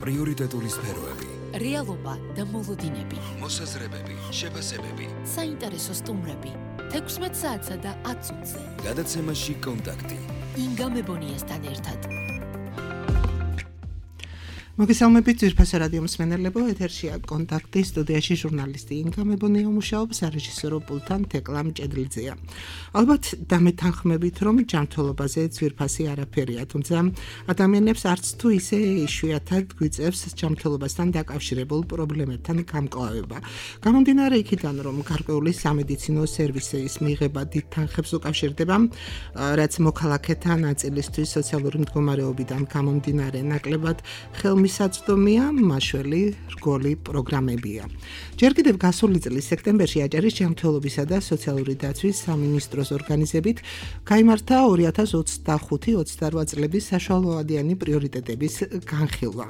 პრიორიტეტული სფეროები, რეალობა და მოლოდინები, მოსაზრებები, შეფასებები, საინტერესო სტუმრები, 16 საათსა და 10 წუთზე. გადაცემაში კონტაქტი. ინგა მებონიასთან ერთად. მოგესალმებით ძვირფასო რადიო მსმენელებო, ეთერშია კონტაქტი, სტუდიაში ჟურნალისტი ინგა მებონია მუშაობს, რეჟისორო პულტთან თეკლა მჭედლიძეა. ალბათ დამეთანხმებით, რომ ჯანმრთელობაზე ძვირფასი არაფერია, თუმცა ადამიანებს არც თუ ისე იშვიათად გვიწევს ჯანმრთელობასთან დაკავშირებულ პრობლემებთან გამკლავება. გამომდინარე იქიდან, რომ გარკვეული სამედიცინო სერვისის მიღება დიდ თანხებს უკავშირდება, რაც მოქალაქეთა ნაწილისთვის სოციალური მდგომარეობიდან გამომდინარე ნაკლებად ხელმისაწვდომია, მაშველი რგოლი პროგრამებია. ჯერ კიდევ გასული წლის სექტემბერში აჭარის ჯანმრთელობისა და სოციალური დაცვის სამინისტროს ორგანიზებით გაიმართა 2025-28 წლების საშუალოადიანი პრიორიტეტების განხილვა.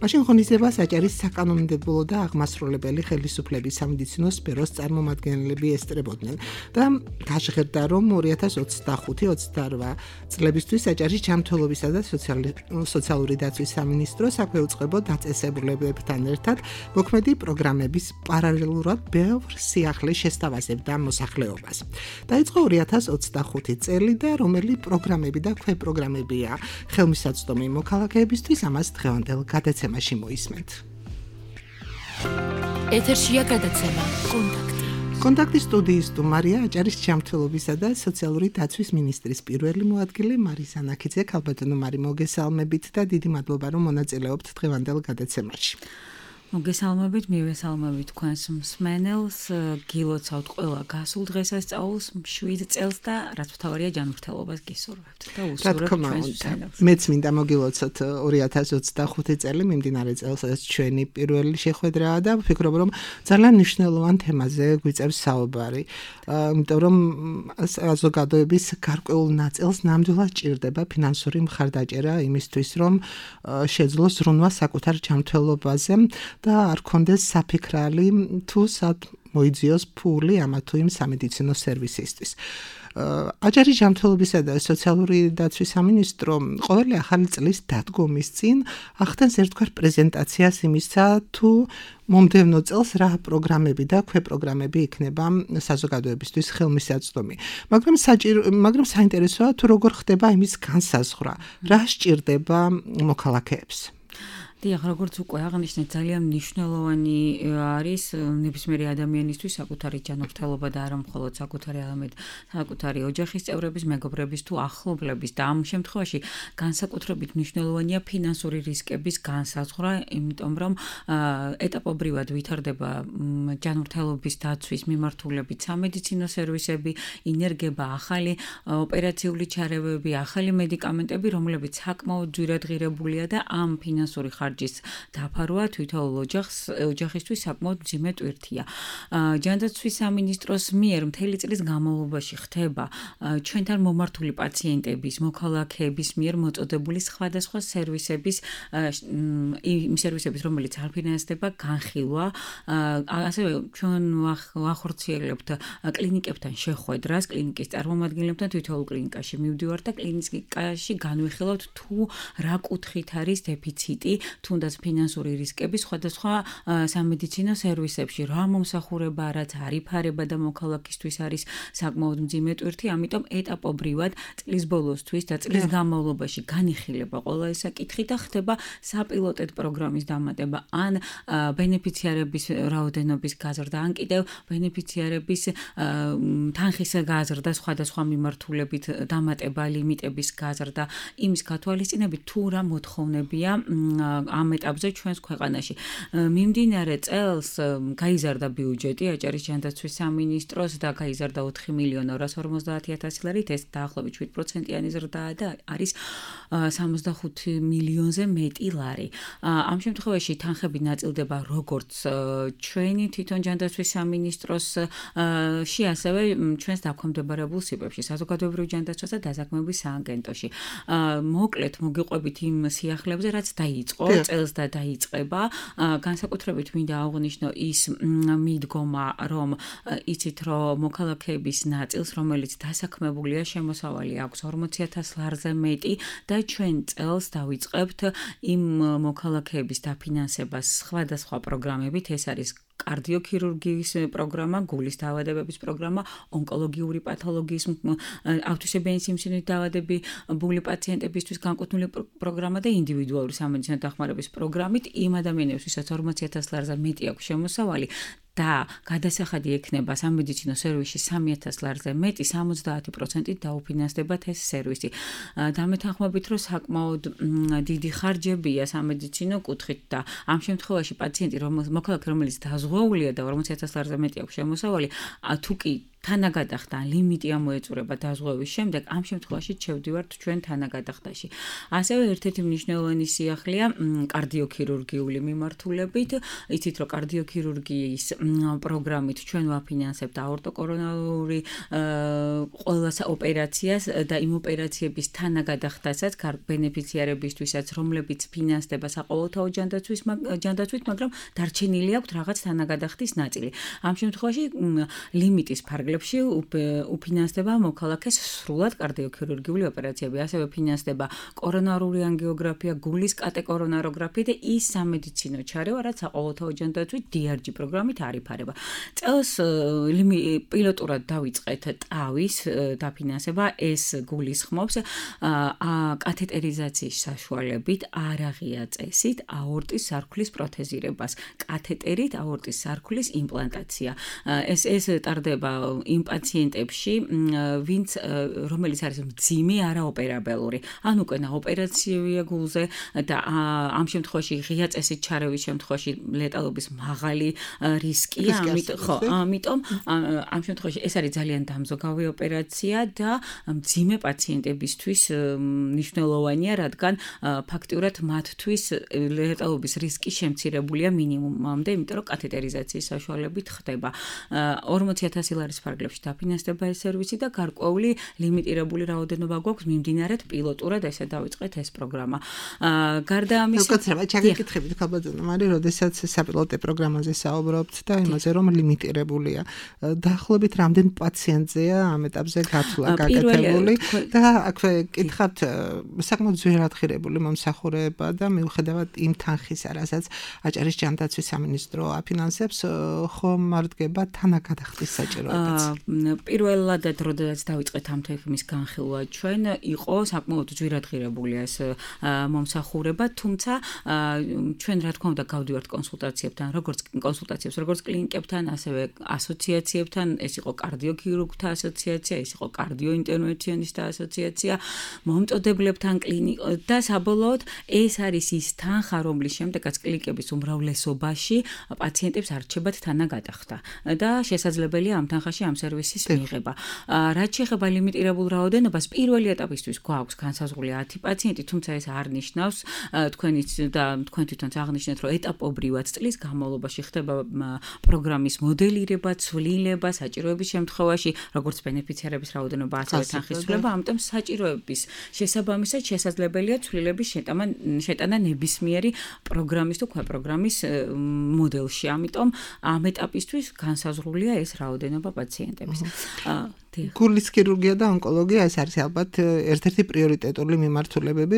მაშინ ღონისძიებას აჭარის საკანონმდებლო და აღმასრულებელი ხელისუფლების სამედიცინო სფეროს წარმომადგენლები ესწრებოდნენ და გაჟღერდა, რომ 2025-28 წლებისთვის აჭარის ჯანმრთელობისა და სოციალური დაცვის სამინისტროს აქვეუწყებო დაწესებულებებთან ერთად მოქმედი პროგრამების პარალელურად ბევრ სიახლის შესთავაზებდა მოსახლეობას. დაიწყო 2025 წელი და რომელი პროგრამები და ქვეპროგრამებია ხელმისაწვდომი მოქალაქეებისთვის, ამას დღევანდელ გადაცემაში მოისმენთ. ეთერშია გადაცემა კონტაქტი. კონტაქტის სტუდიის სტუმარია აჭარის ჯანმრთელობისა და სოციალური დაცვის მინისტრის პირველი მოადგილე მარისა ნაქიძე. ქალბატონო მარი, მოგესალმებით და დიდი მადლობა, რომ მონაწილეობთ დღევანდელ გადაცემაში. მოგესალმებით, მივესალმებით თქვენს მსმენელს, გილოცავთ ყველა გასულ დღესასწაულს, 7 წელს და რაც მთავარია ჯანმრთელობას გისურვებთ და უსურვებთ ჩვენს მსმენელს. მეც მინდა მოგილოცოთ 2025 წელი, მიმდინარე წელს ეს ჩვენი პირველი შეხვედრაა და ვფიქრობ, რომ ძალიან მნიშვნელოვან თემაზე გვიწევს საუბარი. იმიტომ რომ საზოგადოების გარკვეულ ნაწილს ნამდვილად ჭირდება ფინანსური მხარდაჭერა იმისთვის, რომ შეძლოს ზრუნვა საკუთარ ჯანმრთელობაზე და არ კონდეს საფიქრალი თუ სად მოიძიოს ფული ამა თუ იმ სამედიცინო სერვისისთვის. აჭარის ჯანმრთელობისა და სოციალური დაცვის სამინისტრო ყოველი ახალი წლის დადგომის წინ ახდენს ერთგვარ პრეზენტაციას იმისა, თუ მომდევნო წელს რა პროგრამები და ქვეპროგრამები იქნება საზოგადოებისთვის ხელმისაწვდომი. მაგრამ საინტერესოა თუ როგორ ხდება იმის განსაზღვრა, რა სჭირდება მოქალაქეებს. დიახ, როგორც უკვე აღნიშნეთ, ძალიან მნიშვნელოვანი არის ნებისმიერი ადამიანისთვის საკუთარი ჯანმრთელობა და არა მხოლოდ საკუთარი არამედ საკუთარი ოჯახის წევრების, მეგობრების თუ ახლობლების და ამ შემთხვევაში განსაკუთრებით მნიშვნელოვანია ფინანსური რისკების განსაზღვრა, იმიტომ რომ ეტაპობრივად ვითარდება ჯანმრთელობის დაცვის მიმართულებით სამედიცინო სერვისები, ინერგება ახალი ოპერაციული ჩარევები, ახალი მედიკამენტები, რომლებიც საკმაოდ ძვირადღირებულია და ამ ფინანსური ხარჯის დაფარვა თვითონ ოჯახისთვის საკმაოდ მძიმე ტვირთია. ჯანდაცვის სამინისტროს მიერ მთელი წლის განმავლობაში ხდება ჩვენთან მომართული პაციენტების, მოქალაქეების მიერ მოწოდებული სხვადასხვა სერვისების, რომელიც არ ფინანსდება განხილვა. ასევე ჩვენ ვახორციელებთ კლინიკებთან შეხვედრას, კლინიკის წარმომადგენლებთან თვითონ კლინიკაში მივდივართ და კლინიკაში განვიხილავთ თუ რა კუთხით არის დეფიციტი, თუნდაც ფინანსური რისკები სხვადასხვა სამედიცინო სერვისებში, რა მომსახურება, რაც არიფარება და მოქალაქისთვის არის საკმაოდ მძიმე ტვირთი, ამიტომ ეტაპობრივად წლის ბოლოსთვის და წლის განმავლობაში განიხილება ყველა ეს საკითხი და ხდება საპილოტეთ პროგრამის დამატება, ან ბენეფიციარების რაოდენობის გაზრდა, ან კიდევ ბენეფიციარების თანხის გაზრდა სხვადასხვა მიმართულებით დამატება, ლიმიტების გაზრდა, იმის გათვალისწინებით თუ რა მოთხოვნებია ამ ეტაპზე ჩვენს ქვეყანაში. მიმდინარე წელს გაიზარდა ბიუჯეტი აჭარის ჯანდაცვის სამინისტროს და გაიზარდა 4.250.000 ლარით, ეს დაახლოებით 7%-იანი ზრდაა და არის 65 მილიონზე მეტი ლარი. ამ შემთხვევაში თანხები ნაწილდება როგორც ჩვენი თვითონ ჯანდაცვის სამინისტროსში, ასევე ჩვენს დაქვემდებარებულ სიბებში, საზოგადოებრივ ჯანდაცვას და დაზაქმების სააგენტოში. მოკლედ მოგიყვებით იმ სიახლეებზე, რაც დაიწყო წელს და დაიწყება. განსაკუთრებით მინდა აღვნიშნო ის მიდგომა, რომ იცით, რომ მოქალაქეების ნაწილს, რომელიც დასაქმებულია, შემოსავალი აქვს 40,000 ლარზე მეტი და ჩვენ წელს დავიწყებთ იმ მოქალაქეების დაფინანსებას სხვადასხვა პროგრამებით. ეს არის კარდიოქირურგიის პროგრამა, გულის დაავადებების პროგრამა, ონკოლოგიური პათოლოგიის, ავტისებიანი სიმსივნით დაავადებული პაციენტებისთვის განკუთვნილი პროგრამა და ინდივიდუალური სამედიცინო დახმარების პროგრამით იმ ადამიანებს, ვისაც 40,000 ლარზე მეტი აქვს შემოსავალი და გადასახადი ექნება სამედიცინო სერვისში 3,000 ლარზე მეტი, 70% დაუფინანსდებათ ეს სერვისი. დამეთანხმებით, რომ საკმაოდ დიდი ხარჯებია სამედიცინო კუთხით და ამ შემთხვევაში პაციენტი, მოქალაქე, რომელიც დაზღვეულია და 40,000 ლარზე მეტი აქვს შემოსავალი, თუ კი თანაგადახდა ლიმიტი ამოეწურება დაზღვევის შემდეგ, ამ შემთხვევაში შევდივართ ჩვენ თანაგადახდაში. ასევე ერთ-ერთი მნიშვნელოვანი სიახლეა კარდიოქირურგიული მიმართულებით. იცით, რომ კარდიოქირურგიის პროგრამით ჩვენ ვაფინანსებთ აორტოკორონარული ყველა ოპერაციას და იმ ოპერაციების თანაგადახდასაც ბენეფიციარებისთვისაც, რომლებიც ფინანსდება საყოველთაო ჯანდაცვით, მაგრამ დარჩენილი აქვს რაღაც თანაგადახდის ნაწილი. ამ შემთხვევაში ლიმიტის ფარგლებში უფინანსდება მოქალაქეს სრულად კარდიოქირურგიული ოპერაციები. ასევე ფინანსდება კორონარული ანგიოგრაფია, გულის კატეკორონაროგრაფია და ის სამედიცინო ჩარევა, რაც საყოველთაო ჯანდაცვით DRG პროგრამით არ იფარება. წელს პილოტურად დავიწყეთ ტავის დაფინანსება, ეს გულისხმობს კათეტერიზაციის საშუალებით, არაღია წესით აორტის სარქლის პროთეზირებას, კათეტერით აორტის სარქლის იმპლანტაცია. ეს ტარდება იმ პაციენტებში, რომელიც არის მძიმე არაოპერაბელური. ან უკვე ოპერაციებია გულზე და ამ შემთხვევაში ღია წესით ჩარევის შემთხვევაში ლეტალობის მაღალი რისკია. ამიტომ ამ შემთხვევაში ეს არის ძალიან დამზოგავი ოპერაცია და მძიმე პაციენტებისთვის მნიშვნელოვანია, რადგან ფაქტიურად მათთვის ლეტალობის რისკი შემცირებულია მინიმუმამდე, იმიტომ რომ კათეტერიზაციის საშუალებით ხდება. 40,000 ლარის ფარგლებში დაფინანსდება ეს სერვისი და გარკვეული ლიმიტირებული რაოდენობა გვაქვს მიმდინარედ პილოტურად ესე დავიწყეთ ეს პროგრამა. გარდა ამისა, ჩაგეკითხებით ხალბატონო მარი, როდესაც საპილოტე პროგრამაზე საუბრობთ და იმაზე რომ ლიმიტირებულია. დაახლოებით რამდენ პაციენტზეა ამ ეტაპზე გათვლა გაკეთებული და აქვე კითხავთ საკმაოდ ძვირადღირებული მომსახურება და მიუხედავად იმ თანხისა, რასაც აჭარის ჯანდაცვის სამინისტრო აფინანსებს, ხომ მარდგება თანაგადახდის საჭიროებაც. პირველად როდესაც დავიწყეთ ამ თემის განხილვა ჩვენ, იყო საკმაოდ ძვირადღირებული ეს მომსახურება, თუმცა ჩვენ რა თქმა უნდა გავდივართ კონსულტაციებთან, როგორც კლინიკებთან, ასევე ასოციაციებთან, ეს იყო კარდიოქირურგთა ასოციაცია, ეს იყო კარდიოინტერვენციონისტთა ასოციაცია, მომწოდებლებთან და საბოლოოდ ეს არის ის თანხა, რომლის შემდეგაც კლინიკების უმრავლესობაში პაციენტებს არჩებათ თანაგადახდა და შესაძლებელია ამ თანხაში ამ სერვისის მიღება. რაც შეეხება ლიმიტირებულ რაოდენობას, პირველი ეტაპისთვის გვაქვს განსაზღვრული 10 პაციენტი, თუმცა ეს არ ნიშნავს თქვენ თვითონც აღნიშნეთ, რომ ეტაპობრივად წლის განმავლობაში ხდება პროგრამის მოდელირება, ცვლილება, საჭიროების შემთხვევაში, როგორც ბენეფიციარების რაოდენობა, ასევე თანხის ცვლილება, ამიტომ საჭიროების შესაბამისად შესაძლებელია ცვლილების შეტანა ნებისმიერი პროგრამის თუ ქვეპროგრამის მოდელში. ამიტომ ამ ეტაპისთვის განსაზღვრულია ეს რაოდენობა პაციენტების. გულის ქირურგია და ონკოლოგია ეს არის ალბათ ერთ-ერთი პრიორიტეტული მიმართულებები,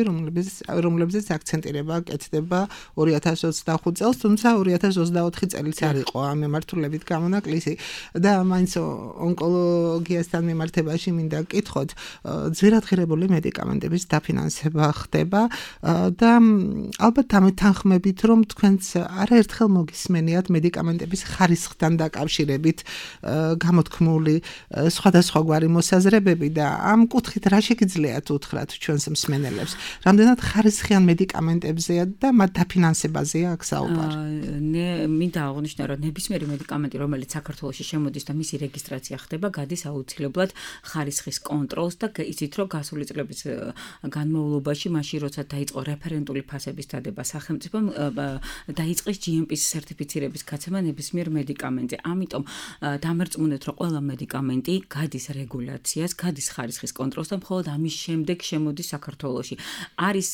რომლებზეც აქცენტირება კეთდება 2025 წელს, თუმცა 2024 წელიც არ იყო ამ მიმართულებით გამონაკლისი და მაინც ონკოლოგიასთან მიმართებაში მინდა გკითხოთ, ძვირადღირებული მედიკამენტების დაფინანსება ხდება და ალბათ დამეთანხმებით, რომ თქვენც არაერთხელ მოგისმენიათ მედიკამენტების ხარისხთან დაკავშირებით გამოთქმული სხვადასხვაგვარი მოსაზრებები და ამ კუთხით რა შეგიძლიათ უთხრათ ჩვენს მსმენელებს? რამდენად ხარისხიან მედიკამენტებზეა და მათ დაფინანსებაზეა აქ საუბარი? მინდა აღვნიშნო, რომ ნებისმიერი მედიკამენტი, რომელიც საქართველოში შემოდის და მისი რეგისტრაცია ხდება, გადის აუცილებლად ხარისხის კონტროლს და იცით, რომ გასული წლების განმავლობაში, მაშინ როცა დაიწყო რეფერენტული ფასების დადება სახელმწიფომ, დაიწყეს GMP-ის სერტიფიცირების გაცემა ნებისმიერ მედიკამენტზე. ამიტომ დამერწმუნეთ, რომ ყველა მედიკამენტი გადის რეგულაციას, გადის ხარისხის კონტროლს და მხოლოდ ამის შემდეგ შემოდის საქართველოში. არის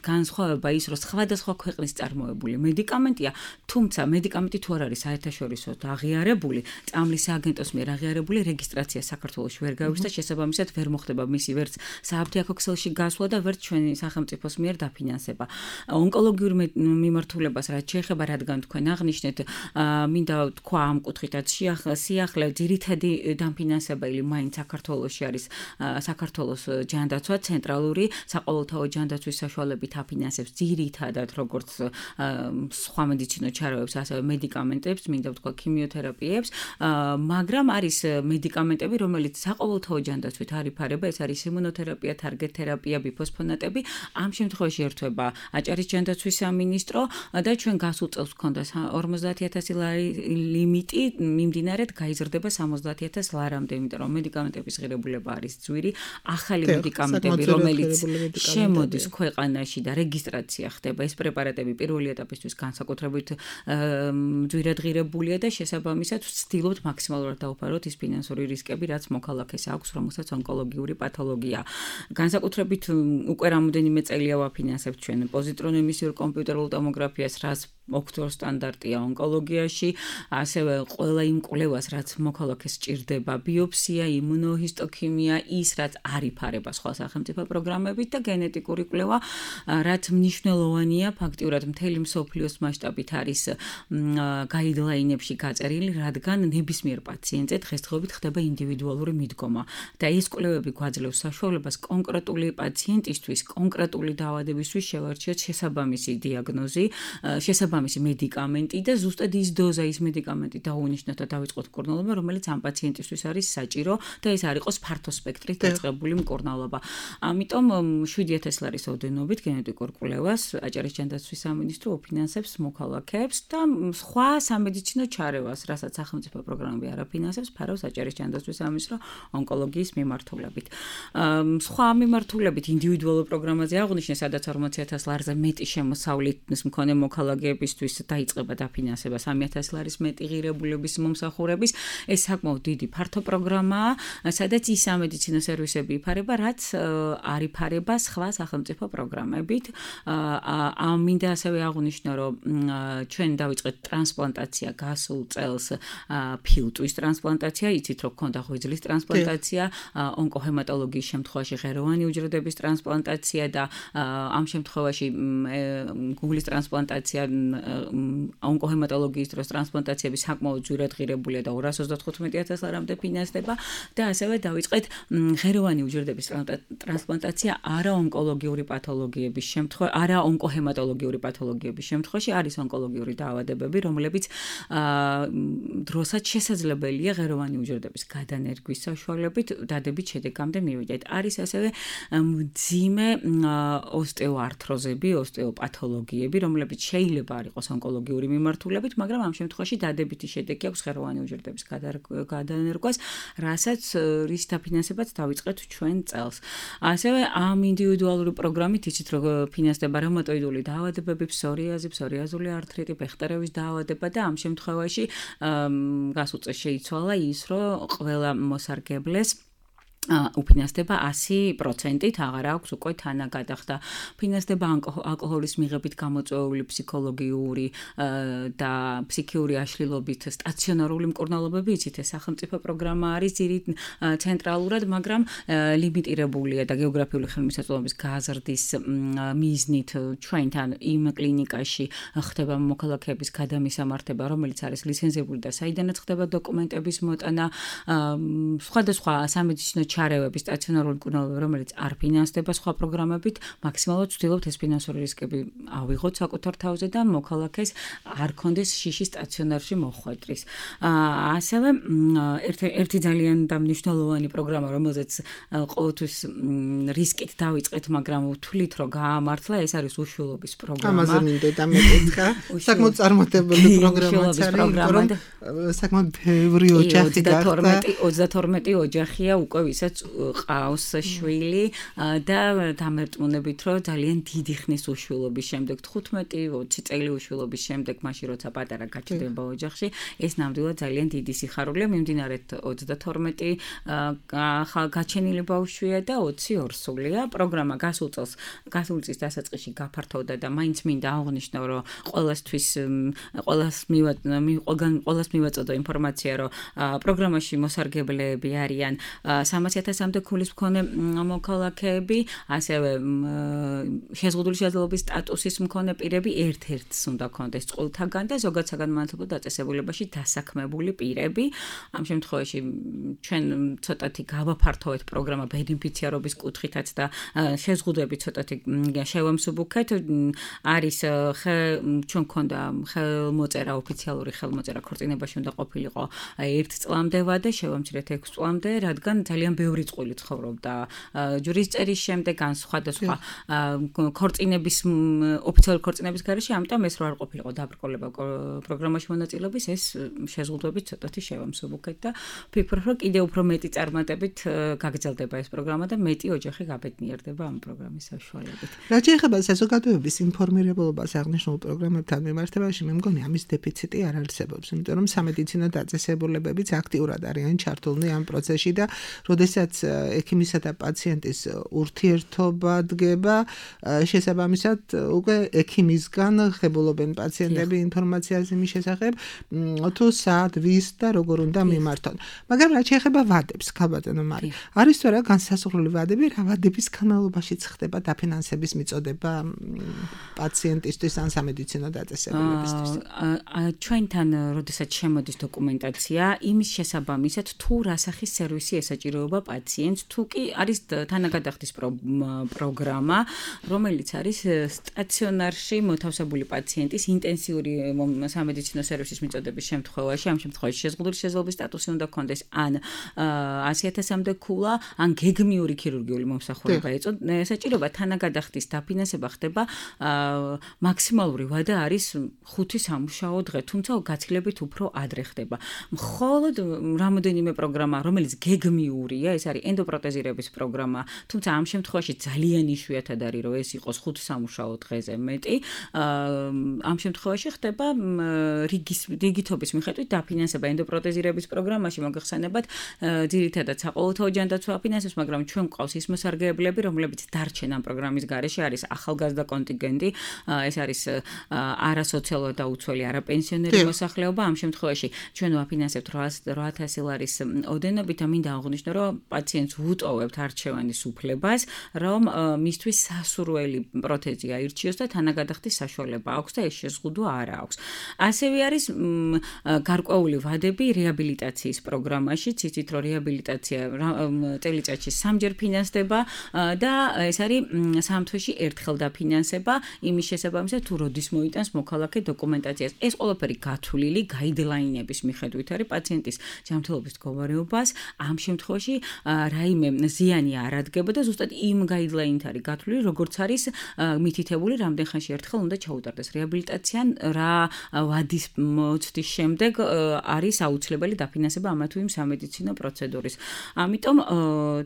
განსხვავება ის, რომ სხვადასხვა ქვეყნის წარმოებული მედიკამენტია, თუმცა მედიკამენტი თუ არ არის საერთაშორისო აღიარებული, წამლის სააგენტოს მიერ აღიარებული რეგისტრაცია საქართველოში ვერ გაუგზავნა და შესაბამისად ვერ მოხდება მისი ვერც სააფთიაქო ქსელში გასვლა და ვერც ჩვენი სახელმწიფოს მიერ დაფინანსება. ონკოლოგიურ მიმართულებას რაც შეეხება, რადგან თქვენ აღნიშნეთ, მინდა თქვა ამ კუთხითაც სიახლე ძირითადი დაფინანსებელი მაინც საქართველოში არის საქართველოს ჯანდაცვა, ცენტრალური საყოველთაო ჯანდაცვის საშუალებებით აფინანსებს ძირითადად როგორც სხვა მედიცინო ჩარევებს, ასევე მედიკამენტებს, მინდა ვთქვა ქიმიოთერაპიებს, მაგრამ არის მედიკამენტები, რომელიც საყოველთაო ჯანდაცვით არ იფარება, ეს არის იმუნოთერაპია, თარგეტ თერაპია, ბიფოსფონატები. ამ შემთხვევაში ერთვება აჭარის ჯანდაცვის სამინისტრო და ჩვენ გასულ წელს გვქონდა 50,000 ლარი ლიმიტი, მიმდინარედ გაიზრდება 70,000 ლარამდე, იმიტომ რომ მედიკამენტების ღირებულება არის ძვირი, ახალი მედიკამენტები, რომელიც შემოდის ქვეყანაში და რეგისტრაცია ხდება, ეს პრეპარატები პირველი ეტაპისთვის განსაკუთრებით ძვირად ღირებულია და შესაბამისად ვცდილობთ მაქსიმალურად დავუფაროთ ის ფინანსური რისკები, რაც მოქალაქეს აქვს, რომელსაც ონკოლოგიური პათოლოგია. განსაკუთრებით უკვე რამოდენიმე წელია ვაფინანსებთ ჩვენ პოზიტრონ ემისიურ კომპიუტერულ ტომოგრაფიას, რაც ოქროს სტანდარტია ონკოლოგიაში, ასევე ყველა იმ კვლევას, რაც მოქალაქეს სჭირდება, ბიოფსია, იმუნოჰისტოქიმია, ის რაც არ იფარება სხვა სახელმწიფო პროგრამებით და გენეტიკური კვლევა, რაც მნიშვნელოვანია, ფაქტიურად მთელი მსოფლიოს მასშტაბით არის გაიდლაინებში გაწერილი, რადგან ნებისმიერ პაციენტზე დღესდღეობით ხდება ინდივიდუალური მიდგომა და ეს კვლევები გვაძლევს საშუალებას კონკრეტული პაციენტისთვის, კონკრეტული დაავადებისთვის შევარჩიოთ შესაბამისი დიაგნოზი, შესაბამისი მედიკამენტი და ზუსტად ის დოზა, ის მედიკამენტი დაუნიშნოთ და დავიწყოთ მკურნალობა, რომელიც ამ პაციენტისთვის არის საჭირო და ეს არ იყოს ფართო სპექტრით დაწყებული მკურნალობა. ამიტომ 7,000 ლარის ოდენობით გენეტიკურ კვლევას აჭარის ჯანდაცვის სამინისტრო ოფინანსებს მოქალაქეებს და სხვა სამედიცინო ჩარევას, რასაც სახელმწიფო პროგრამები არ აფინანსებს, ფარავს აჭარის ჯანდაცვის სამინისტრო ონკოლოგიის მიმართულებით. სხვა მიმართულებით ინდივიდუალურ პროგრამაზე აღნიშნე, სადაც 40,000 ლარზე მეტი შემოსავლის მქონე მოქალაქეებისთვის დაიწყება დაფინანსება 3,000 ლარის მეტი ღირებულების მომსახურების. ეს საკმაოდ დიდი ფართო პროგრამაა, სადაც ის სამედიცინო სერვისები იფარება, რაც არ იფარება სხვა სახელმწიფო პროგრამებით. მინდა ასევე აღვნიშნო, რომ ჩვენ დავიწყეთ ტრანსპლანტაცია გასულ წელს, ფილტვის ტრანსპლანტაცია, იცით რომ გქონდა ღვიძლის ტრანსპლანტაცია, ონკოჰემატოლოგიის შემთხვევაში ღეროვანი უჯრედების ტრანსპლანტაცია და ამ შემთხვევაში გუგლის ტრანსპლანტაცია, ონკოჰემატოლოგიის დროს ტრანსპლანტაციები საკმაოდ ძვირად ღირებულია და 295,000 ლარამდე ფინანსდება და ასევე დავიწყეთ ღეროვანი უჯრედების ტრანსპლანტაცია არაონკოლოგიური პათოლოგიების შემთხვევაში, არაონკოჰემატოლოგიური პათოლოგიების შემთხვევაში არის ონკოლოგიური დაავადებები, რომლებიც დროსაც შესაძლებელია ღეროვანი უჯრედების გადანერგვის საშუალებით დადებით შედეგამდე მივიდეთ. არის ასევე მძიმე ოსტეოართროზები, ოსტეოპათოლოგიები, რომლებიც შეიძლება არ იყოს ონკოლოგიური მიმართულებით, მაგრამ ამ შემთხვევაში დადებითი შედეგი აქვს ღეროვანი უჯრედების გადანერგვას, რასაც რის დაფინანსებაც დავიწყეთ ჩვენ წელს. ასევე ამ ინდივიდუალური პროგრამით იცით რომ ფინანსდება რევმატოიდული დაავადებები, ფსორიაზი, ფსორიაზული artriti, ბეხტერევის დაავადება და ამ შემთხვევაში გასულ წელს შეიცვალა ის, რომ ყველა მოსარგებლეს უფინანსდება 100%-ით, აღარ აქვს უკვე თანა გადახდა. ფინანსდება ალკოჰოლის მიღებით გამოწვეული ფსიქოლოგიური და ფსიქიური აშლილობით სტაციონარული მკურნალობები, იცით ეს სახელმწიფო პროგრამა არის ცენტრალურად, მაგრამ ლიმიტირებულია და გეოგრაფიული ხელმისაწვდომობის გაზრდის მიზნით ჩვენთან იმ კლინიკაში ხდება მოქალაქეების გადამისამართება, რომელიც არის ლიცენზირებული და საიდანაც ხდება დოკუმენტების მოტანა, სხვადასხვა სამედიცინო ჩარევების სტაციონარული მკურნალობები, რომელიც არ ფინანსდება სხვა პროგრამებით, მაქსიმალურად ვცდილობთ ეს ფინანსური რისკები ავიღოთ საკუთარ თავზე და მოქალაქეს არ კონდეს შიში სტაციონარში მოხვედრის. ასევე ერთი ძალიან მნიშვნელოვანი პროგრამა, რომელზეც ყოველთვის რისკით დავიწყეთ, მაგრამ ვთვლით, რომ გაამართლა, ეს არის უშვილობის პროგრამა. ამაზე მინდოდა მეკითხა. საკმაოდ წარმატებული პროგრამაა, საკმაოდ ბევრი ოჯახი გახდა. 32 ოჯახია უკვე ვისაც რომელსაც ყავს შვილი და დამერტმუნებით რომ ძალიან დიდი ხნის უშვილობის შემდეგ 15-20 წელი უშვილობის შემდეგ მაშინ როცა პატარა გაჩნდება ოჯახში ეს ნამდვილად ძალიან დიდი სიხარულია მიმდინარე 32 გაჩენილი ბავშვია და 20 ორსულია პროგრამა გასულ წლის დასაწყისში გაფართოვდა და მაინც მინდა აღვნიშნო რომ ყველას მივაწოდო ინფორმაცია რომ პროგრამაში მოსარგებლეები არიან 300,000-მდე ქულის მქონე მოქალაქეები, ასევე შეზღუდული შეძლებლობის სტატუსის მქონე პირები ერთ-ერთს უნდა ქონდეს წყვილთაგან და ზოგად საგანმანათლებლო დაწესებულებაში დასაქმებული პირები. ამ შემთხვევაში ჩვენ ცოტათი გავაფართოვეთ პროგრამა ბენეფიციარობის კუთხითაც და შეზღუდვები ცოტათი შევამსუბუქეთ. არის ჩვენ გქონდა ხელმოწერა ოფიციალური ხელმოწერა ქორწინებაში უნდა ყოფილიყო 1 წლამდე ვადა შევამჩნიეთ 6 წლამდე, რადგან ძალიან ბევრი წყვილი ცხოვრობდა ჯურის წერის შემდეგ ან სხვადასხვა ქორწინების ოფიციალური ქორწინების გარეშე, ამიტომ ეს რო არ ყოფილიყო დაბრკოლება პროგრამაში მონაწილეობის, ეს შეზღუდვებით ცოტათი შევამსუბუქეთ და ვფიქრობ, რომ კიდევ უფრო მეტი წარმატებით გაგრძელდება ეს პროგრამა და მეტი ოჯახი გაბედნიერდება ამ პროგრამის საშუალებით. რაც ეხება საზოგადოების ინფორმირებულობას აღნიშნულ პროგრამებთან მიმართებაში, მე მგონი ამის დეფიციტი არ არსებობს, იმიტომ რომ სამედიცინო დაწესებულებებიც აქტიურად არიან ჩართულნი ამ პროცესში და როდესაც ექიმისა და პაციენტის ურთიერთობა დგება, შესაბამისად უკვე ექიმისგან ღებულობენ პაციენტები ინფორმაციას იმის შესახებ, თუ სად, ვის და როგორ უნდა მიმართონ. მაგრამ რაც ეხება ვადებს, ქალბატონო მარი, არის თუ არა განსაზღვრული ვადები, რა ვადების განმავლობაშიც ხდება დაფინანსების მიწოდება პაციენტისთვის ან სამედიცინო დაწესებულებისთვის? ჩვენთან როდესაც შემოდის დოკუმენტაცია, იმის შესაბამისად თუ რა სახის სერვისი ესაჭიროება პაციენტს, თუ კი არის თანაგადახდის პროგრამა, რომელიც არის სტაციონარში მოთავსებული პაციენტის ინტენსიური სამედიცინო სერვისის მიწოდების შემთხვევაში, ამ შემთხვევაში შეზღუდული შეძლებლობის სტატუსი უნდა ქონდეს ან 100,000-მდე ქულა, ან გეგმიური ქირურგიული მომსახურება ესაჭიროება თანაგადახდის დაფინანსება ხდება მაქსიმალური ვადა არის 5 სამუშაო დღე, თუმცა გაცილებით უფრო ადრე ხდება. მხოლოდ რამოდენიმე პროგრამა, რომელიც გეგმიურია, ეს არის ენდოპროტეზირების პროგრამა, თუმცა ამ შემთხვევაში ძალიან იშვიათად არის, რომ ეს იყოს 5 სამუშაო დღეზე მეტი. ამ შემთხვევაში ხდება რიგითობის მიხედვით დაფინანსება ენდოპროტეზირების პროგრამაში, მოგეხსენებათ, ძირითადად საყოველთაო ჯანდაცვა აფინანსებს, მაგრამ ჩვენ გვყავს ის მოსარგებლეები, რომლებიც დარჩენ ამ პროგრამის გარეშე, არის ახალგაზრდა კონტინგენტი, ეს არის არასოციალურად დაუცველი არაპენსიონერი მოსახლეობა. ამ შემთხვევაში ჩვენ ვაფინანსებთ 800 ლარის ოდენობით და მინდა აღვნიშნო, რომ პაციენტს ვუტოვებთ არჩევანის უფლებას, რომ მისთვის სასურველი პროთეზი აირჩიოს და თანაგადახდის საშუალება აქვს და ეს შეზღუდვა არ აქვს. ასევე არის გარკვეული ვადები რეაბილიტაციის პროგრამაში, იცით რომ რეაბილიტაცია წელიწადში 3-ჯერ ფინანსდება და ეს არის 3 თვეში ერთხელ დაფინანსება იმის შესაბამისად თუ როდის მოიტანს მოქალაქე დოკუმენტაციას. ეს ყველაფერი გათვლილი გაიდლაინების მიხედვით არის პაციენტის ჯანმრთელობის მდგომარეობას. ამ შემთხვევაში რაიმე ზიანი არ ადგება და ზუსტად იმ გაიდლაინით არის გათვლილი, როგორც არის მითითებული, რამდენ ხანში ერთხელ უნდა ჩაუტარდეს რეაბილიტაცია, რა ვადის მოცდის შემდეგ არის აუცილებელი დაფინანსება ამა თუ იმ სამედიცინო პროცედურის. ამიტომ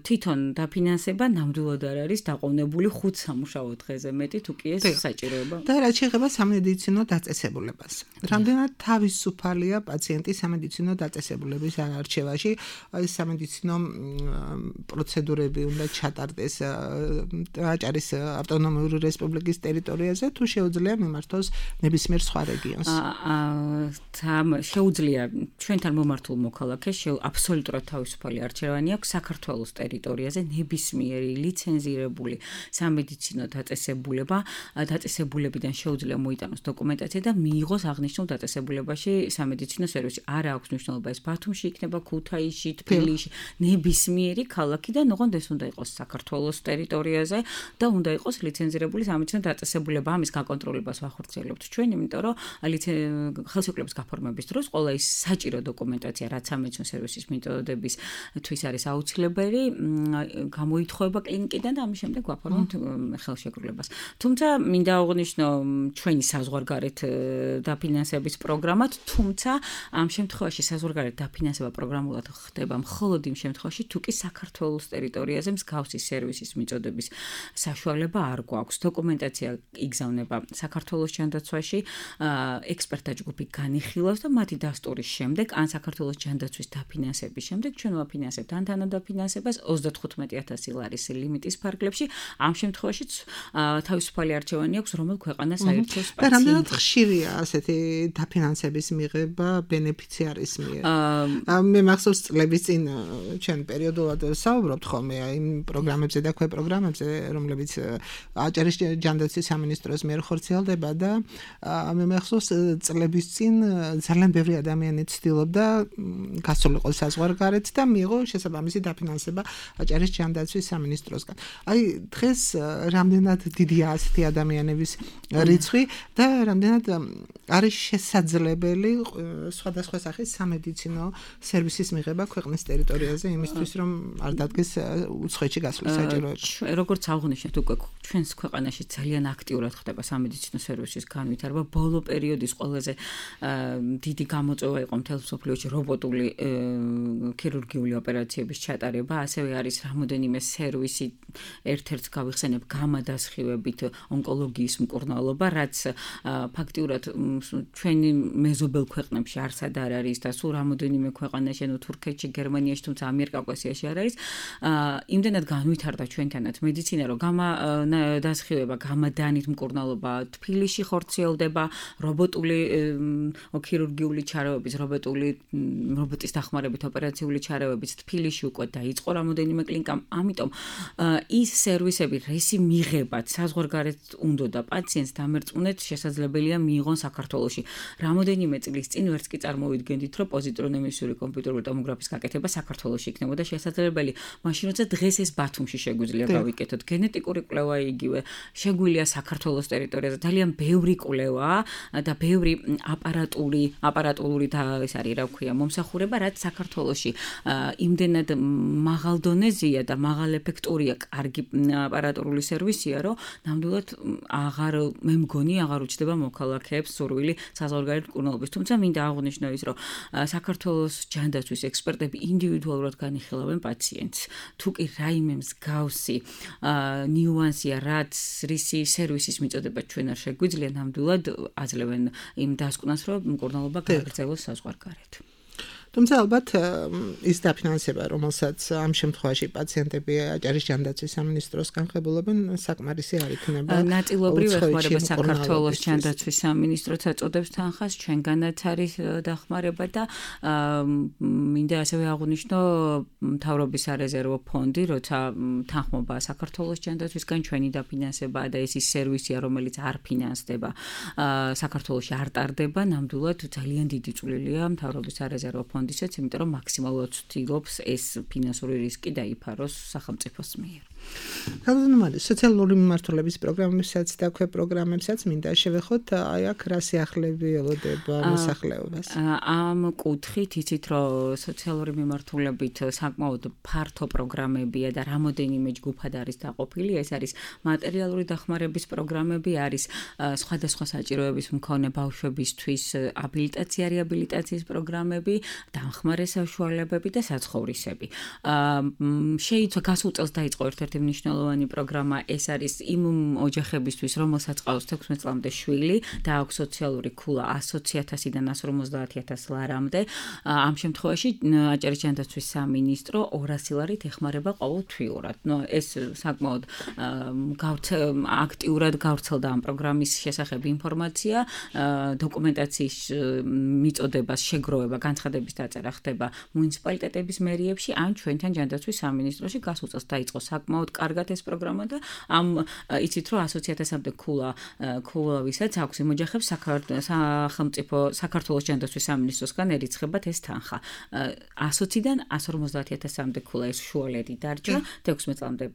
თვითონ დაფინანსება ნამდვილად არ არის დაყოვნებული 5 სამუშაო დღეზე მეტი, თუ კი ეს საჭიროება. და რაც შეეხება სამედიცინო დაწესებულებას. რამდენად თავისუფალია პაციენტი სამედიცინო დაწესებულების არჩევაში, აი სამედიცინო პროცედურები უნდა ჩატარდეს აჭარის ავტონომიური რესპუბლიკის ტერიტორიაზე, თუ შეუძლია მიმართოს ნებისმიერ სხვა რეგიონს? შეუძლია ჩვენთან მომართულ მოქალაქეს აბსოლუტურად თავისუფალი არჩევანი აქვს საქართველოს ტერიტორიაზე ნებისმიერი ლიცენზირებული სამედიცინო დაწესებულებიდან შეუძლია მოიტანოს დოკუმენტაცია და მიიღოს აღნიშნულ დაწესებულებაში სამედიცინო სერვისი. არა აქვს მნიშვნელობა ეს ბათუმში იქნება, ქუთაისში, თბილისში, ნებისმიერი ქალაქი და ოღონდ ეს უნდა იყოს საქართველოს ტერიტორიაზე და უნდა იყოს ლიცენზირებული სამედიცინო დაწესებულება. ამის გაკონტროლებას ვახორციელებთ ჩვენ, იმიტომ რომ ხელშეკრულების გაფორმების დროს ყველა ის საჭირო დოკუმენტაცია, რაც სამედიცინო სერვისის მეთოდებისთვის არის აუცილებელი, გამოითხოვება კლინიკიდან და ამის შემდეგ ვაფორმებთ ხელშეკრულებას. თუმცა მინდა აღვნიშნო ჩვენი საზღვარგარეთ დაფინანსების პროგრამად, თუმცა ამ შემთხვევაში საზღვარგარეთ დაფინანსება პროგრამულად ხდება მხოლოდ იმ შემთხვევაში, შემთხვევაში თუ კი საქართველოს ტერიტორიაზე მსგავსი სერვისის მიწოდების საშუალება არ გვაქვს. დოკუმენტაცია იგზავნება საქართველოს ჯანდაცვაში, ექსპერტთა ჯგუფი განიხილავს და მათი დასტურის შემდეგ, ან საქართველოს ჯანდაცვის დაფინანსების შემდეგ ჩვენ ვაფინანსებთ ან თანადაფინანსებას 35,000 ლარის ლიმიტის ფარგლებში. ამ შემთხვევაშიც თავისუფალი არჩევანი აქვს, რომელ ქვეყანას აირჩევს და რამდენად ხშირია ასეთი დაფინანსების მიღება ბენეფიციარის მიერ? მე მახსოვს წლების წინ ჩვენ პერიოდულად საუბრობთ ხოლმე იმ პროგრამებზე და პროგრამებზე, რომლებიც აჭარის ჯანდაცვის სამინისტროს მიერ ხორციელდება და მე მახსოვს წლების წინ ძალიან ბევრი ადამიანი ცდილობდა გასულიყო საზღვარგარეთ და მიიღო შესაბამისი დაფინანსება აჭარის ჯანდაცვის სამინისტროსგან. აი დღეს რამდენად დიდია ასეთი ადამიანების რიცხვი და რამდენად არის შესაძლებელი სხვადასხვა სახის სამედიცინო სერვისის მიღება ქვეყნის ტერიტორიაზე იმისთვის რომ არ დადგეს უცხოეთში გასვლის საჭიროება. როგორც აღნიშნეთ უკვე ჩვენს ქვეყანაში ძალიან აქტიურად ხდება სამედიცინო სერვისის განვითარება. ბოლო პერიოდის ყველაზე დიდი გამოწვევა იყო მთელ მსოფლიოში რობოტული ქირურგიული ოპერაციების ჩატარება, ასევე არის რამოდენიმე სერვისი ერთ-ერთს გავიხსენებ გამადასხივებით ონკოლოგიის მკურნალობა, რაც ფაქტიურად ჩვენი მეზობელ ქვეყნებში არსად არ არის და სულ რამოდენიმე ქვეყანაში, ანუ თურქეთში, გერმანიაში, თუმცა ამიერკავკასიაში არ არის. იმდენად განვითარდა ჩვენთანაც მედიცინა, რომ გამადასხივება, გამადანით მკურნალობა თბილისში ხორციელდება, რობოტული ქირურგიული ჩარევების, რობოტის დახმარებით ოპერაციული ჩარევების თბილისში უკვე დაიწყო რამოდენიმე კლინიკამ. ამიტომ ის სერვისები, რისი მიღებაც საზღვარგარეთ უნდა და პაციენტს დამერწმუნეთ შესაძლებელია მიიღონ საქართველოში. რამოდენიმე წლის წინ ვერც კი წარმოვიდგენდით, რომ პოზიტრონემისიური კომპიუტერული ტომოგრაფის გაკეთება საქართველოში იქნებოდა შესაძლებელი. მაშინ როცა დღეს ეს ბათუმში შეგვიძლია გავიკეთოთ, გენეტიკური კვლევა იგივე, შეგვიძლია საქართველოს ტერიტორიაზე ძალიან ბევრი კვლევა და ბევრი აპარატურული და ეს არის რა ვქვია, მომსახურება, რაც საქართველოში იმდენად მაღალ დონეზეა და მაღალ ეფექტურია, კარგი აპარატურული სერვისია, რომ ნამდვილად მე მგონი აღარ უჩნდება მოქალაქეებს სურვილი საზღვარგარეთ მკურნალობის. თუმცა მინდა აღვნიშნო ის, რომ საქართველოს ჯანდაცვის ექსპერტები ინდივიდუალურად განიხილავენ პაციენტს. თუ კი რაიმე მსგავსი ნიუანსია, რაც რისი სერვისის მიწოდება ჩვენ არ შეგვიძლია, ნამდვილად აძლევენ იმ დასკვნას, რომ მკურნალობა გააგრძელოს საზღვარგარეთ. თუმცა ალბათ ის დაფინანსება, რომელსაც ამ შემთხვევაში პაციენტები აჭარის ჯანდაცვის სამინისტროსგან ხებულობენ, საკმარისი არ იქნება. ნაწილობრივ ეხმარება საქართველოს ჯანდაცვის სამინისტროც აწოდებს თანხას, ჩვენგანაც არის დახმარება და მინდა ასევე აღვნიშნო მთავრობის სარეზერვო ფონდი, როცა თანხმობა საქართველოს ჯანდაცვისგან ჩვენი დაფინანსებაა და ეს ის სერვისია, რომელიც არ ფინანსდება, საქართველოში არ ტარდება, ნამდვილად ძალიან დიდი წვლილია მთავრობის სარეზერვო ფონდისა, იმიტომ რომ მაქსიმალურად ცდილობს ეს ფინანსური რისკი დაიფაროს სახელმწიფოს მიერ. Καλώς სოციალური მიმართულების პროგრამებსაც და პროგრამებსაც მინდა შევეხოთ, აი აქ რა სიახლეები ელოდება მოსახლეობას. ამ კუთხით იცით, რომ სოციალური მიმართულებით საკმაოდ ფართო პროგრამებია და რამოდენიმე ჯგუფად არის დაყოფილი. ეს არის მატერიალური დახმარების პროგრამები, არის სხვადასხვა საჭიროების მქონე ბავშვებისთვის აბილიტაცია, რეაბილიტაციის პროგრამები, დამხმარე საშუალებები და საცხოვრისები. შეიძლება გასულ წელს დაიწყო ერთ-ერთი მნიშვნელოვანი პროგრამა, ეს არის იმ ოჯახებისთვის, რომელსაც ყავს 16 წლამდე შვილი და აქვს სოციალური ქულა 100,000-დან 150,000 ლარამდე. ამ შემთხვევაში აჭარის ჯანდაცვის სამინისტრო 200 ლარით ეხმარება ყოველთვიურად. ეს საკმაოდ აქტიურად გავრცელდა ამ პროგრამის შესახებ ინფორმაცია, დოკუმენტაციის მიწოდებას შეგროვება, განცხადების დაწერა ხდება მუნიციპალიტეტების მერიებში, ან ჩვენთან ჯანდაცვის სამინისტროში გასულ წელს დაიწყო საკმაოდ კარგად ეს პროგრამა და ამ იცით რომ 100,000-მდე ქულავისაც აქვს იმ ოჯახებს საქართველოს ჯანდაცვის სამინისტროსგან ერიცხებათ ეს თანხა. 120-დან 150,000-მდე ქულა ეს შუალედი დარჩა, 16 წლამდე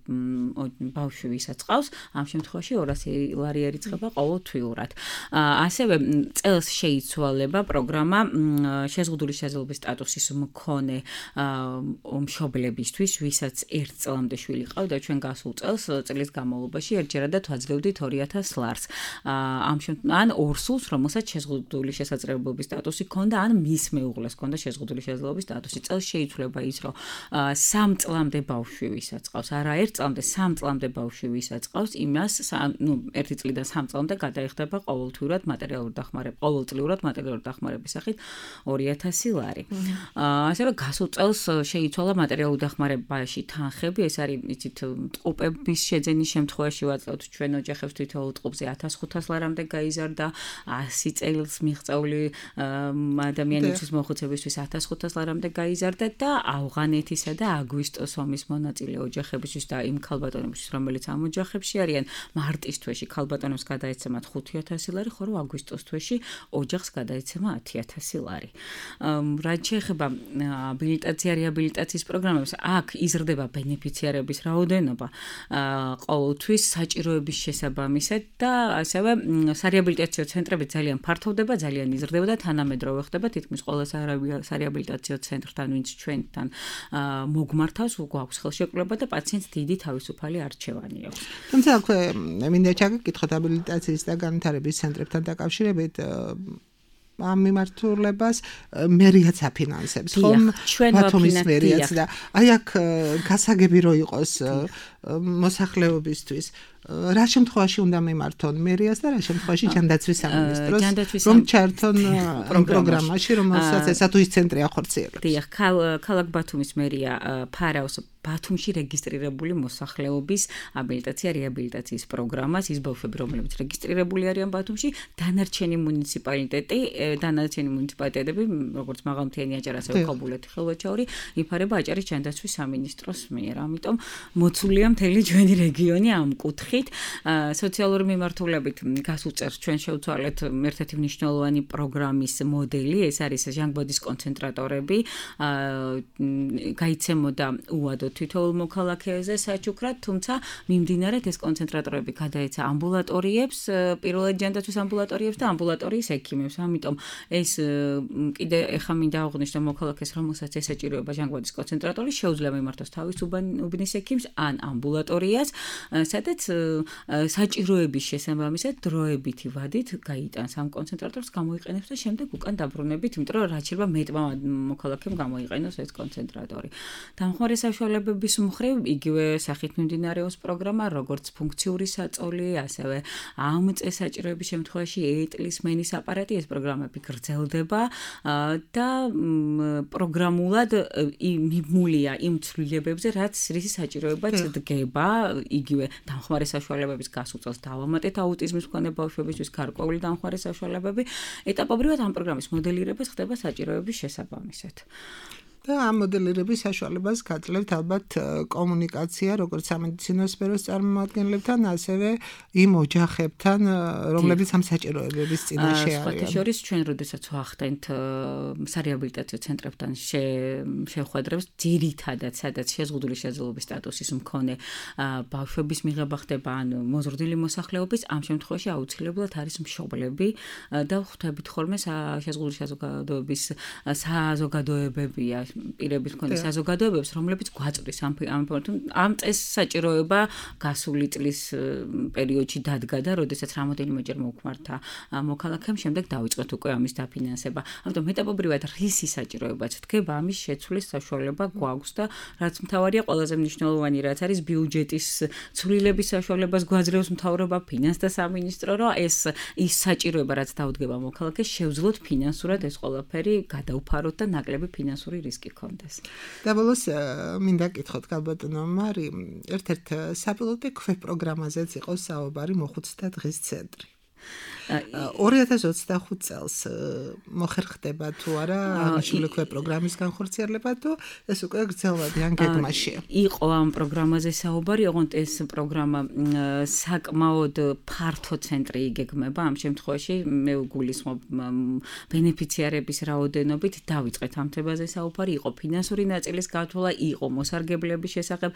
ბავშვი ვისაც ყავს, ამ შემთხვევაში 200 ლარი ერიცხება ყოველთვიურად. ასევე წელს შეიცვალება პროგრამა შეზღუდული შესაძლებლობის სტატუსის მქონე მშობლებისთვის, ვისაც 1 წლამდე შვილი ყავდა, ჩვენ გასულ წელს წლის განმავლობაში ერთჯერადად ვაძლევდით 2000 ლარს. ან ორ სულს, რომელსაც შეზღუდული შესაძლებლობის სტატუსი ჰქონდა, ან მის მეუღლეს ჰქონდა შეზღუდული შესაძლებლობის სტატუსი. წელს შეიცვლება ის, რომ 3 წლამდე ბავშვი ვისაც ყავს, არა 1 წლამდე, 3 წლამდე ბავშვი ვისაც ყავს, იმას, 1 წლიდან 3 წლამდე გადაიხდება ყოველთვიურად მატერიალური დახმარება, ყოველწლიურად მატერიალური დახმარების სახით 2000 ლარი. ასევე გასულ წელს შეიცვალა მატერიალური დახმარებაში თანხები, ეს არის იცით ტყუპების შეძენის შემთხვევაში ვაწევთ ჩვენ ოჯახებს თითოეულ ტყუპზე 1500 ლარამდე გაიზარდა, 100 წელს მიღწეული ადამიანისთვის მოხუცებისთვის 1500 ლარამდე გაიზარდა და ავღანეთისა და აგვისტოს ომის მონაწილე ოჯახებისთვის და იმ ქალბატონებისთვის, რომელიც ამ ოჯახებში არიან, მარტის თვეში ქალბატონებს გადაეცემათ 5000 ლარი, ხოლო აგვისტოს თვეში ოჯახს გადაეცემა 10000 ლარი. რაც შეეხება აბილიტაცია რეაბილიტაციის პროგრამებს, აქ იზრდება ბენეფიციარების რაოდენობა ყოველთვის საჭიროების შესაბამისად და ასევე სარეაბილიტაციო ცენტრები ძალიან ფართოვდება, ძალიან იზრდება და თანამედროვე ხდება თითქმის ყველა სარეაბილიტაციო ცენტრთან, ვინც ჩვენთან მოგმართავს, გვაქვს ხელშეკრულება და პაციენტს დიდი თავისუფალი არჩევანი აქვს. თუმცა აქვე მინდა ჩაგეკითხოთ აბილიტაციის და განვითარების ცენტრებთან დაკავშირებით ამ მიმართულებას მერიაც აფინანსებს, ხომ? ბათუმის მერიაც და აი აქ გასაგები რო იყოს მოსახლეობისთვის რა შემთხვევაში უნდა მიმართონ მერიას და რა შემთხვევაში ჯანდაცვის სამინისტროს რომ ჩართონ პროგრამაში, რომელსაც ესა თუ ის ცენტრი ახორციელებს. დიახ, ქალაქ ბათუმის მერია ფარავს ბათუმში რეგისტრირებული მოსახლეობის აბილიტაცია რეაბილიტაციის პროგრამას, ის ბავშვები, რომლებიც რეგისტრირებული არიან ბათუმში, დანარჩენი მუნიციპალიტეტები, როგორც მაღალმთიანი აჭარა, ასევე ქობულეთი, ხელვაჩაური, იფარება აჭარის ჯანდაცვის სამინისტროს მიერ. ამიტომ მოცულია მთელი ჩვენი რეგიონი ამ კუთხით. სოციალური მიმართულებით გასულ წელს ჩვენ შევცვალეთ ერთ-ერთი მნიშვნელოვანი პროგრამის მოდელი, ეს არის ჟანგბადის კონცენტრატორები. გაიცემოდა უადო თითოეულ მოქალაქეზე საჩუქრად, თუმცა მიმდინარედ ეს კონცენტრატორები გადაეცა ამბულატორიებს, პირველად ჯანდაცვის ამბულატორიებს და ამბულატორიის ექიმებს. ამიტომ ეს კიდე ეხა მინდა აღვნიშნო მოქალაქეს, რომელსაც ესაჭიროება ჟანგბადის კონცენტრატორი, შეუძლია მიმართოს თავის უბნის ექიმს ან ამბულატორიას, სადაც საჭიროების შესაბამისად დროებითი ვადით გაიტანს ამ კონცენტრატორს, გამოიყენებს და შემდეგ უკან დაბრუნებით, იმიტომ რომ რაც შეიძლება მეტმა მოქალაქემ გამოიყენოს ეს კონცენტრატორი. დამხმარე საშუალებების მხრივ იგივე სახით მიმდინარეობს პროგრამა, როგორც ფუნქციური საწოლი, ასევე ამ წესაჭიროების შემთხვევაში ეტლის მენის აპარატი, ეს პროგრამები გრძელდება და პროგრამულად მიმულია იმ ცვლილებებზე, რაც რის საჭიროებაც დგება, იგივე დამხმარე საშუალებების გასულ წელს დავამატეთ აუტიზმის მქონე ბავშვებისთვის გარკვეული დამხმარე საშუალებები. ეტაპობრივად ამ პროგრამის მოდელირება ხდება საჭიროების შესაბამისად. და ამ მოდელირების საშუალებას გაძლევთ ალბათ კომუნიკაცია, როგორც სამედიცინო სფეროს წარმომადგენლებთან, ასევე იმ ოჯახებთან, რომლებიც ამ საჭიროებების წინაშე არიან. სხვათა შორის ჩვენ როდესაც ვახდენთ სარეაბილიტაციო ცენტრებთან შეხვედრებს, ძირითადად სადაც შეზღუდული შესაძლებლობის სტატუსის მქონე ბავშვების მიღება ხდება, ან მოზრდილი მოსახლეობის, ამ შემთხვევაში აუცილებლად არის მშობლები და ხვდებით ხოლმე შეზღუდული საზოგადოების საზოგადოებებია პირების მქონე საზოგადოებებს, რომლებიც გვაწვდის ამ წეს საჭიროება გასული წლის პერიოდში დადგა და როდესაც რამოდენიმეჯერ მოგმართა მოქალაქემ, შემდეგ დავიწყეთ უკვე ამის დაფინანსება. ამიტომ ეტაპობრივად რისი საჭიროებაც დგება, ამის შეცვლის საშუალება გვაქვს და რაც მთავარია, ყველაზე მნიშვნელოვანი რაც არის ბიუჯეტის ცვლილების საშუალებას გვაძლევს მთავრობა, ფინანსთა სამინისტრო, რომ ის საჭიროება, რაც დავდგება მოქალაქეს, შევძლოთ ფინანსურად ეს ყველაფერი გადაუფაროთ და ნაკლები ფინანსური რისკი გქონდეს. და ბოლოს მინდა გკითხოთ ქალბატონო მარი, ერთ-ერთ საპილოტო პროგრამაზეც იყო საუბარი მოხუცთა დღის ცენტრი. 2025 წელს მოხერხდება თუ არა აღნიშნული პროგრამის განხორციელება თუ ეს უკვე გრძელვადიან გეგმაშია. იყო ამ პროგრამაზე საუბარი, ოღონდ ეს პროგრამა საკმაოდ ფართო ცენტრი იგეგმება. ამ შემთხვევაში მე ვგულისხმობ ბენეფიციარების რაოდენობით დავიწყეთ ამ თემაზე საუბარი, იყო ფინანსური ნაწილის გათვლა, იყო მოსარგებლების შესახებ,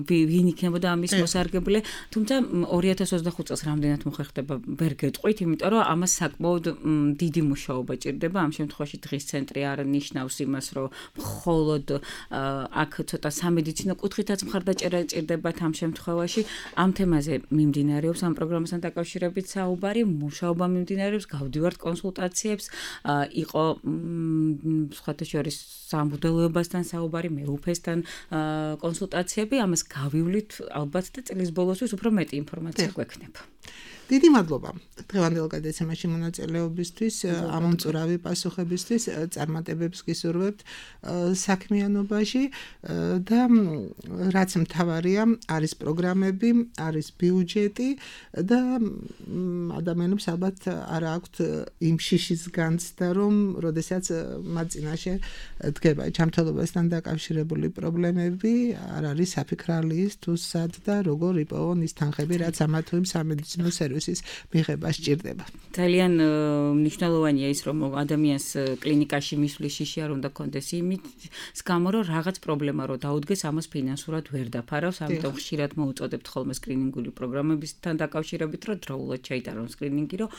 ვინ იქნებოდა ამის მოსარგებლე, თუმცა 2025 წელს რამდენად მოხერხდება ვერ გეტყვით, იმიტომ რომ ამას საკმაოდ დიდი მუშაობა ჭირდება. ამ შემთხვევაში დღის ცენტრი არ ნიშნავს იმას, რომ მხოლოდ აქ ცოტა სამედიცინო კუთხითაც მხარდაჭერა ჭირდებათ ამ შემთხვევაში. ამ თემაზე მიმდინარეობს ამ პროგრამასთან დაკავშირებით საუბარი, მუშაობა მიმდინარეობს, გავდივართ კონსულტაციებს, იყო სხვათა შორის სამბუდელოებასთან საუბარი, მეუფესთან კონსულტაციები, ამას გავივლით ალბათ და წლის ბოლოსთვის უფრო მეტი ინფორმაცია გვექნება. დიდი მადლობა დღევანდელ გადაცემაში მონაწილეობისთვის, ამომწურავი პასუხებისთვის, წარმატებებს გისურვებთ საქმიანობაში და რაც მთავარია, არის პროგრამები, არის ბიუჯეტი და ადამიანებს ალბათ არ აქვთ იმ შიშის განცდა, რომ როდესაც მათ წინაშე დგება ჯანმრთელობასთან დაკავშირებული პრობლემები, არ არის საფიქრალი ის თუ სად და როგორ იპოვონ ის თანხები, რაც ამა თუ იმ სამედიცინო სერვისის მიღება სჭირდება. ძალიან მნიშვნელოვანია ის, რომ ადამიანს კლინიკაში მისვლის შიში არ უნდა კონდეს იმის გამო, რომ რაღაც პრობლემა რო დაუდგეს, ამას ფინანსურად ვერ დაფარავს, ამიტომ ხშირად მოუწოდებთ ხოლმე სკრინინგული პროგრამებისთან დაკავშირებით, რომ დროულად ჩაიტარონ სკრინინგი, რომ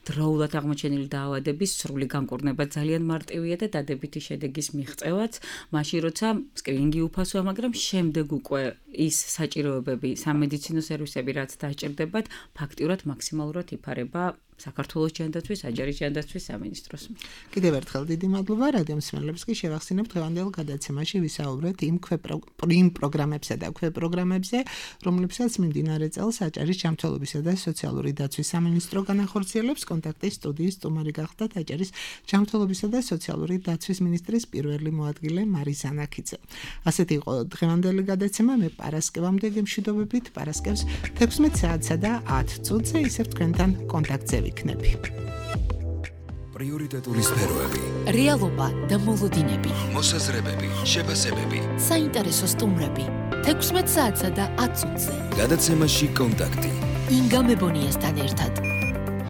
დროულად აღმოჩენილი დაავადების სრული განკურნება ძალიან მარტივია და დადებითი შედეგის მიღწევაც, მაშინ როცა სკრინინგი უფასოა, მაგრამ შემდეგ უკვე ის საჭიროებები, სამედიცინო სერვისები, რაც დაჭირდებათ, ფაქტიურად მაქსიმალურად იფარება საქართველოს ჯანდაცვის, აჯარის ჯანდაცვის სამინისტროს. კიდევ ერთხელ დიდი მადლობა რადიო მსმენელებს კი შევახსენებთ დღევანდელ გადაცემაში ვისაუბრეთ იმ პროგრამებსა და ქვეპროგრამებზე, რომლებსაც მიმდინარე წელს აჭარის ჯანმრთელობისა და სოციალური დაცვის სამინისტრო განახორციელებს. კონტაქტის სტუდიის სტუმარი გახდათ აჭარის ჯანმრთელობისა და სოციალური დაცვის მინისტრის პირველი მოადგილე მარიზა ნაქიძე. ასეთი იყო დღევანდელი გადაცემა. მე პარასკევამდე გემშვიდობებით, პარასკევს 16 საათსა და 10 წუთზე ისევ თქვენთან კონტაქტზე ვიქნები. პრიორიტეტული სფეროები, რეალობა და მოლოდინები, მოსაზრებები, შეფასებები, საინტერესო სტუმრები 16 საათსა და 10 წუთზე. გადაცემაში კონტაქტი. ინგა მებონიასთან ერთად.